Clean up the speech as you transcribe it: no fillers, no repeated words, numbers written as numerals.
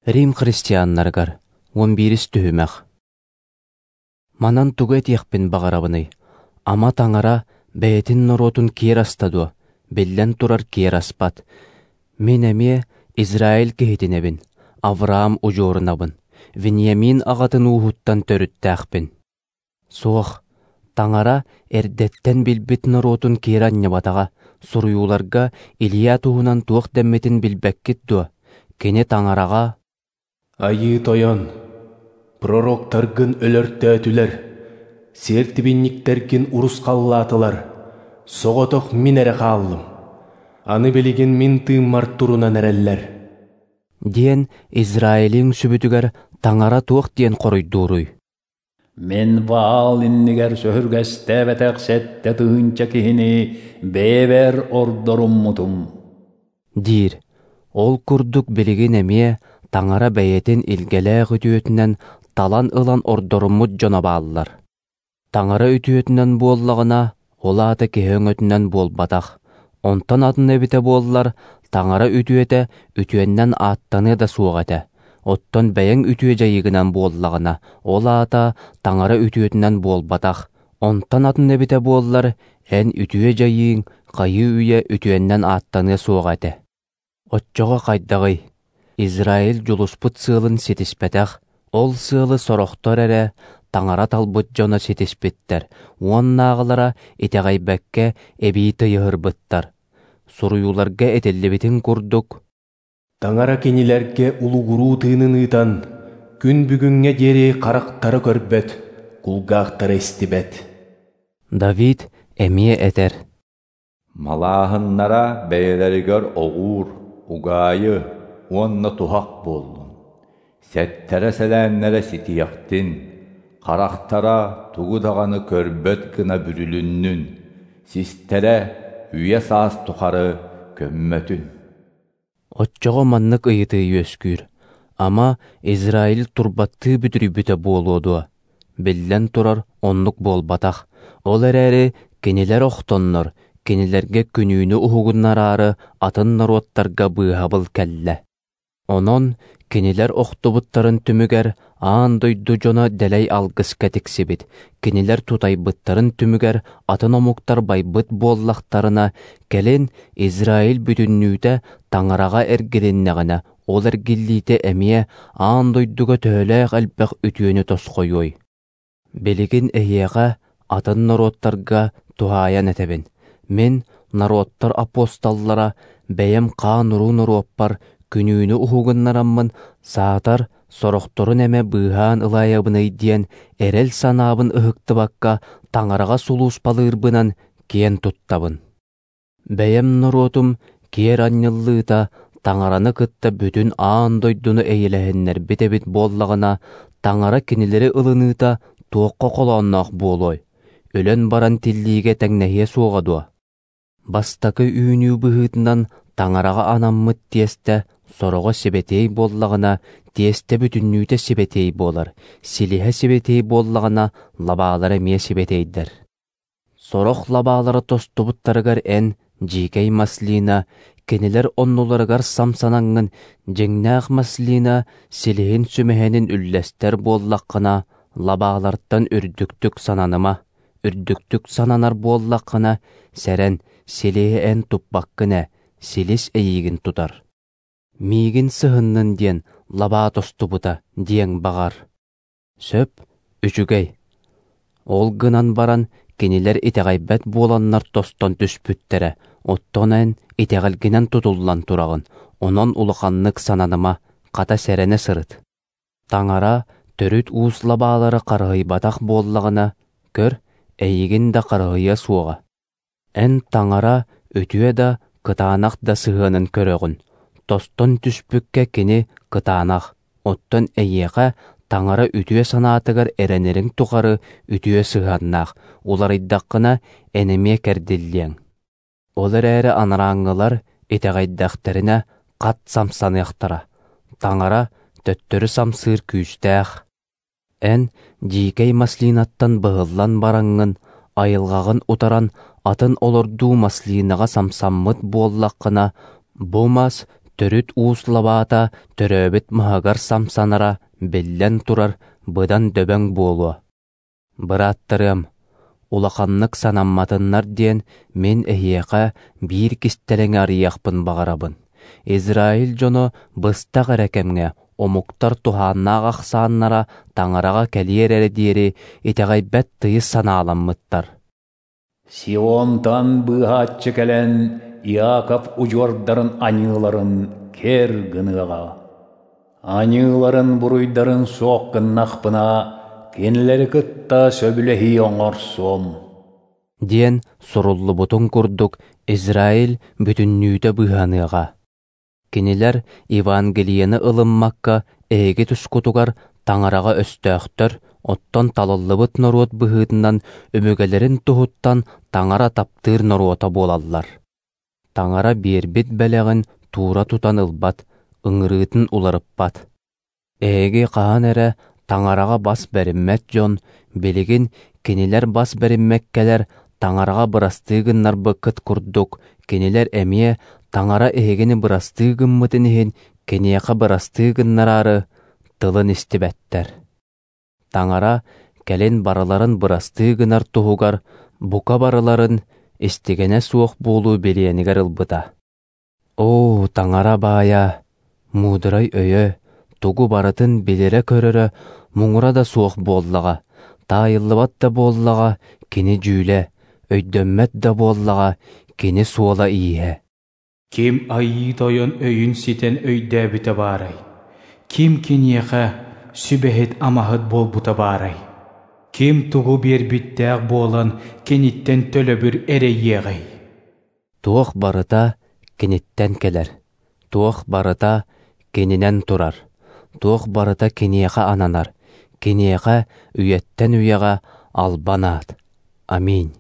Рим христианнарыгар 11-ис түһүмэх. Манан тугу этиэхпин баҕарабыный? Ама Таҥара бэйэтин норуотун киэр аста дуо? Биллэн турар, киэр аспат. Мин эмиэ Израиль киһитинэбин, Авраам удьуорунабын, Вениамин аҕатын ууһуттан төрүттээхпин. Суох, Таҥара эрдэттэн билбит норуотун киэр анньыбатаҕа. Суруйууларга Илья туһунан туох дэммитин билбэккит дуо? Кини Таҥараҕа «Айыы Тойон, пророктаргын өлөртөөтүлэр, сиэртибинньиктэргин урусхаллаатылар, соҕотох мин эрэ хааллым. Аны билигин мин тыыммар турунан эрэллэр» диэн Израилиҥ сүбүтүгэр Таҥара туох диэн хоруйдууруй? Мин Ваал иннигэр сөһүргэстээбэтэх 7000 киһини бэйэбэр ордоруммутум диир. Ол курдук билигин эмиэ Таҥара бэйэтин илгэлээх үтүөтүнэн талан ылан ордоруммут дьоно бааллар. Таҥара үтүөтүнэн буоллаҕына, ол аата киһи өҥөтүнэн буолбатах. Онтон атын эбитэ буоллар, Таҥара үтүөтэ үтүөннэн ааттаныа да суох этэ. Оттон бэйэҥ үтүө дьайыыгынан буоллаҕына, ол аата Таҥара үтүөтүнэн буолбатах. Онтон атын эбитэ буоллар, эн үтүө дьайыыҥ хайыы-үйэ үтүөннэн ааттаныа суоҕа этэ. Оччоҕо хайдаҕый? Израиль дьулуспут сыалын ситиспэтэх, ол сыалы сорохтор эрэ Таҥара талбыт дьоно ситиспиттэр, уоннааҕылара итэҕэйбэккэ эбии тыйыһырбыттар. Суруйууларга этиллибитин курдук, Таҥара кинилэргэ улугуруу тыынын ыытан, күн бүгүҥҥэ диэри харахтара көрбөт, кулгаахтара истибэт. Давид эмиэ этэр: Малааһыннара бэйэлэригэр оҕуур, угаайы уонна туһах буоллун, сэттэрэ-сэлээннэрэ ситиэхтин, харахтара тугу даҕаны көрбөт гына бүрүлүннүн, систэрэ үйэ-саас тухары көммөтүн. Оччоҕо маннык ыйытыы үөскүүр: ама Израиль турбаттыы бүдүрүйбүтэ буолуо дуо? Биллэн турар, оннук буолбатах. Ол эрээри кинилэр охтоннор, кинилэргэ күнүүнү уһугуннараары атын норуоттарга быыһабыл кэллэ. Онон кинилэр охтубуттарын түмүгэр аан дойду дьоно дэлэй алгыска тиксибит, кинилэр тутайбыттарын түмүгэр атын омуктар байбыт буоллахтарына, кэлин Израиль бүтүннүүтэ Таҥараҕа эргилиннэҕинэ, ол эргиллиитэ эмиэ аан дойдуга төһөлөөх элбэх үтүөнү тосхойуой. Билигин эһиэхэ атын норуоттарга туһаайан этэбин. Мин, норуоттар апостоллара, бэйэм хаан-уруу норуоппар күнүүнү уһугуннараммын, саатар сорохторун эмэ быыһаан ылаайабыный диэн эрэл санаабын ыһыктыбакка Таҥараҕа сулууспалыырбынан киэн туттабын. Бэйэм норуотум киэр анньыллыыта Таҥараны кытта бүтүн аан дойдуну эйэлэһиннэрбит эбит буоллаҕына, Таҥара кинилэри ылыныыта туохха холоонноох буолуой? Өлөн баран тиллиигэ тэҥнэһиэ суоҕа дуо? Бастакы үүнүү быһыытынан Таҥараҕа анаммыт тиэстэ сороҕо сибэтиэй буоллаҕына, тиэстэ бүтүннүүтэ сибэтиэй буолар, силиһэ сибэтиэй буоллаҕына, лабаалара эмиэ сибэтиэйдэр. Сорох лабаалара тостубуттарыгар эн, дьиикэй маслина, кинилэр оннуларыгар самсанаҥҥын, дьиҥнээх маслина силиһин сүмэһинин үллэстэр буоллаххына, лабаалартан үрдүктүк сананыма. Үрдүктүк сананар буоллаххына, сэрэн, силиһи эн туппаккын ээ, силис эйиигин тутар. Миигин сыһыннын диэн лабаа тостубута диэҥ баҕар. Сөп, үчүгэй. Ол гынан баран кинилэр итэҕэйбэт буоланнар тостон түспүттэрэ, оттон эн итэҕэлгинэн тутуллан тураҕын, онон улаханнык сананыма, хата сэрэнэ сырыт. Таҥара төрүт уус лабаалары харыһыйбатах буоллаҕына, көр, эйигин да харыһыйыа суоҕа. Эн Таҥара үтүө да, кытаанах да сыһыанын көрөҕүн. Тостон түспүккэ кини кытаанах, оттон эйиэхэ Таҥара үтүө санаатыгар эрэнэриҥ тухары үтүө сыһыаннаах, уларыйдаххына эн эмиэ кэрдиллиэҥ. Ол эрээри анарааҥҥылар итэҕэйдэхтэринэ хат самсаныахтара. Таҥара төттөрү самсыыр күүстээх. Эн дьиикэй маслинаттан быһыллан бараҥҥын, айылҕаҕын утаран атын олордуу маслинаҕа самсаммыт буоллаххына, бу мас Төрүт уус лабаата төрөөбүт маһыгар самсанара, биллэн турар, быдан дөбөҥ буолуо. Бырааттарыам, улаханнык санамматыннар диэн мин эһиэхэ биир кистэлэҥи арыйыахпын баҕарабын. Израиль дьоно быстах эрэ кэмҥэ омуктар туһааннаах ахсааннара Таҥараҕа кэлиэр эрэ диэри итэҕэйбэт тыйыс санааламмыттар. Сионтан быыһааччы кэлэн Иаков удьуордарын аньыыларын кэр гыныаҕа. Аньыыларын буруйдарын суох гыннахпына, кинилэри кытта сөбүлэһии оҥорсуом. Диэн суруллубутун курдук Израиль бүтүннүүтэ быыһаныаҕа. Кинилэр Евангелиены ылыммакка эһиги тускутугар Таҥараҕа өстөөхтөр, оттон талыллыбыт норуот быһыытынан өбүгэлэрин туһуттан Таҥара таптыыр норуота буолаллар. Таҥара биэрбит бэлэҕин туура тутан ылбат, ыҥырыытын уларыппат. Эһиги хаһан эрэ Таҥараҕа бас бэриммэт дьон, билигин кинилэр бас бэриммэккэлэр Таҥараҕа бырастыы гыннарбыккыт курдук, кинилэр эмиэ Таҥара эһигини бырастыы гыммытын иһин киниэхэ бырастыы гыннараары тылын истибэттэр. Таҥара кэлин барыларын бырастыы гынар туһугар бука барыларын истигэнэ суох буолуу билиэнигэр ылбыта. Оо, Таҥара баайа, муударай өйө, тугу барытын билэрэ-көрөрө муҥура да суох буоллаҕа, таайыллыбат да буоллаҕа кини дьүүлэ, өйдөммөт да буоллаҕа кини суола-ииһэ. Ким Айыы Тойон өйүн ситэн өйдөөбүтэ баарай? Ким киниэхэ сүбэһит-амаһыт буолбута баарай? Ким тугу биэрбиттээх буолан киниттэн төлөбүр эрэйиэҕэй? Туох барыта киниттэн кэлэр, туох барыта кининэн турар, туох барыта киниэхэ ананар, киниэхэ үйэттэн үйэҕэ албан аат. Аминь.